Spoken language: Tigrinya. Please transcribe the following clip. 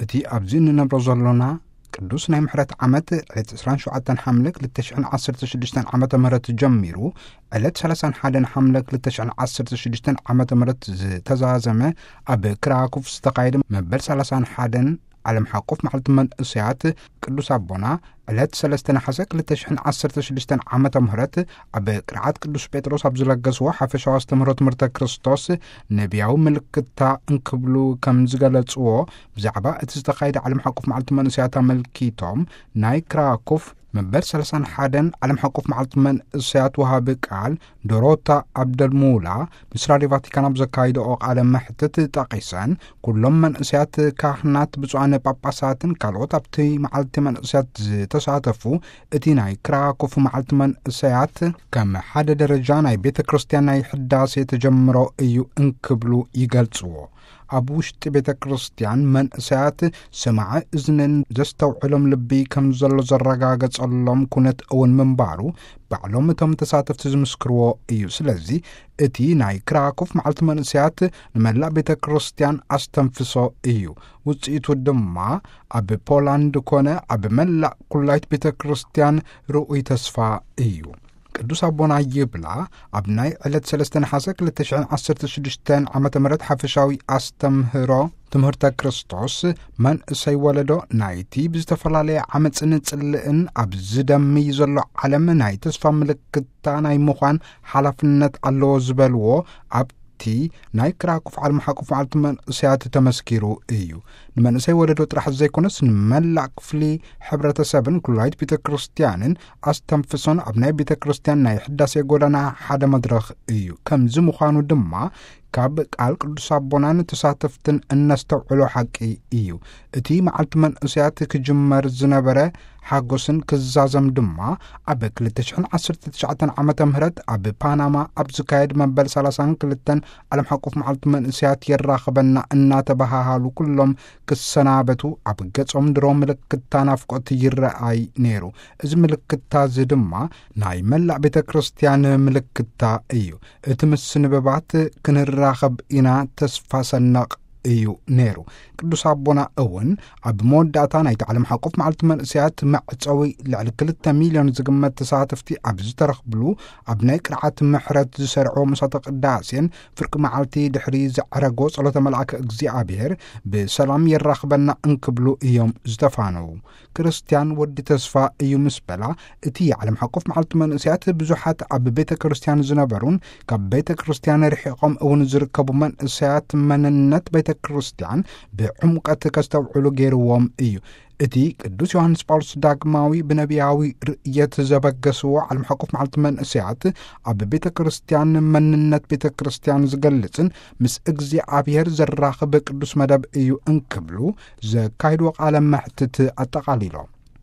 እቲ ኣብዚ እንነብሮ ዘሎና ቅዱስ ናይ ምሕረት ዓመት ዕለት ዕስራን ሸውዓተን ሓምለ ክልተ ሽሕን ዓሰርተ ሽዱሽተን ዓመተ ምህረት ጀሚሩ፣ ዕለት ሰላሳን ሓደን ሓምለ ክልተ ሽሕን ዓሰርተ ሽዱሽተን ዓመተ ምህረት ዝተዛዘመ፣ ኣብ ክራኩፍ ዝተኻየደ መበል ሰላሳን ሓደን ዓለም ሓቆፍ መዓልቲ መንእሰያት፣ ቅዱስ ኣቦና ዕለት ሰለስተ ነሓሰ ክልተ ሽሕን ዓሰርተ ሽዱሽተን ዓመተ ምህረት ኣብ ቅርዓት ቅዱስ ጴጥሮስ ኣብ ዝለገስዎ ሓፈሻዊ ኣስተምህሮ ትምህርተ ክርስቶስ፣ ነቢያዊ ምልክታ እንክብሉ ከም ዝገለጽዎ፣ ብዛዕባ እቲ ዝተኻየደ ዓለም ሓቆፍ መዓልቲ መንእሰያት ኣመልኪቶም፣ ናይ ክራኮፍ መበል ሰላሳን ሓደን ዓለም ሓቆፍ መዓልቲ መንእሰያት ወሃቢ ቃል ዶሮታ ኣብደልሙላ ምስ ራድዮ ቫቲካን ኣብ ዘካይደኦ ቃለ መሕትት ጠቒሰን፣ ኩሎም መንእሰያት ካህናት፣ ብፁዓን ጳጳሳትን ካልኦት ኣብቲ መዓልቲ መንእሰያት ዝተሳተፉ፣ እቲ ናይ ክራኮፍ መዓልቲ መንእሰያት ከም ሓደ ደረጃ ናይ ቤተ ክርስቲያን ናይ ሕዳሴ ተጀምሮ እዩ እንክብሉ ይገልጽዎ። ኣብ ውሽጢ ቤተ ክርስቲያን መንእሰያት ሰማዒ እዝንን ዘስተውዕሎም ልቢ ከም ዘሎ ዘረጋገጸሎም ኩነት እውን ምንባሩ ባዕሎም እቶም ተሳተፍቲ ዝምስክርዎ እዩ። ስለዚ እቲ ናይ ክራኮፍ መዓልቲ መንእሰያት ንመላእ ቤተ ክርስቲያን ኣስተንፍሶ እዩ። ውጽኢቱ ድማ ኣብ ፖላንድ ኮነ ኣብ መላእ ኩላይት ቤተ ክርስቲያን ርኡይ ተስፋ እዩ። ቅዱስ ኣቦና ይብላ፣ ኣብ ናይ ዕለት ሰለስተ ነሓሰ ክልተ ሽሕን ዓሰርተ ሽዱሽተን ዓመተ ምህረት ሓፈሻዊ ኣስተምህሮ ትምህርተ ክርስቶስ፣ መንእሰይ ወለዶ ናይቲ ብዝተፈላለየ ዓመፅን ጽልእን ኣብ ዝደምይ ዘሎ ዓለም ናይ ተስፋ ምልክታ ናይ ምዃን ሓላፍነት ኣለዎ ዝበልዎ፣ ኣብቲ ናይ ክራኩፍ ዓለም ሓቆፍ መዓልቲ መንእሰያት ተመስኪሩ እዩ። ንመንእሰይ ወለዶ ጥራሕ ዘይኮነስ ንመላእ ክፍሊ ሕብረተሰብን ኩላይት ቤተ ክርስቲያንን ኣስተንፍሶን ኣብ ናይ ቤተ ክርስቲያን ናይ ሕዳሴ ጎዳና ሓደ መድረኽ እዩ። ከምዚ ምዃኑ ድማ ካብ ቃል ቅዱስ ኣቦናን ተሳተፍትን እነስተውዕሎ ሓቂ እዩ። እቲ መዓልቲ መንእሰያት ክጅመር ዝነበረ ሓጎስን ክዛዘም ድማ ኣብ ክልተ ሽሕን ዓሰርተ ትሽዓተን ዓመተ ምህረት ኣብ ፓናማ ኣብ ዝካየድ መበል ሰላሳን ክልተን ዓለም ሓቆፍ መዓልቲ መንእሰያት የራኽበና እናተበሃሃሉ ኩሎም ክሰናበቱ ኣብ ገጾም ድሮ ምልክታ ናፍቆት ይረኣይ ነይሩ። እዚ ምልክታ እዚ ድማ ናይ መላእ ቤተ ክርስቲያን ምልክታ እዩ። እቲ ምስንብባት ክንራኸብ ኢና ተስፋ ሰናቕ እዩ ነይሩ። ቅዱስ ኣቦና እውን ኣብ መወዳእታ ናይቲ ዓለም ሓቆፍ መዓልቲ መንእሰያት መዕጸዊ ልዕሊ ክልተ ሚልዮን ዝግመት ተሳተፍቲ ኣብ ዝተረኽብሉ ኣብ ናይ ቅርዓት ምሕረት ዝሰርዕዎ ምሳተ ቅዳሴን ፍርቂ መዓልቲ ድሕሪ ዘዕረጎ ጸሎተ መልኣከ እግዚኣብሔር ብሰላም የራኽበና እንክብሉ እዮም ዝተፋነዉ። ክርስቲያን ወዲ ተስፋ እዩ ምስ በላ፣ እቲ ዓለም ሓቆፍ መዓልቲ መንእሰያት ብዙሓት ኣብ ቤተ ክርስቲያን ዝነበሩን ካብ ቤተ ክርስቲያን ርሒቖም እውን ዝርከቡ መንእሰያት መንነት ቤተ ክርስቲያን ብዕምቀት ከስተውዕሉ ገይርዎም እዩ። እቲ ቅዱስ ዮሃንስ ጳውሎስ ዳግማዊ ብነቢያዊ ርእየት ዘበገስዎ ዓለም ሓቆፍ መዓልቲ መንእሰያት ኣብ ቤተ ክርስቲያን መንነት ቤተ ክርስቲያን ዝገልጽን ምስ እግዚኣብሔር ዘራኽብ ቅዱስ መደብ እዩ እንክብሉ ዘካይድዎ ቃለ መሕትት ኣጠቓሊሎም።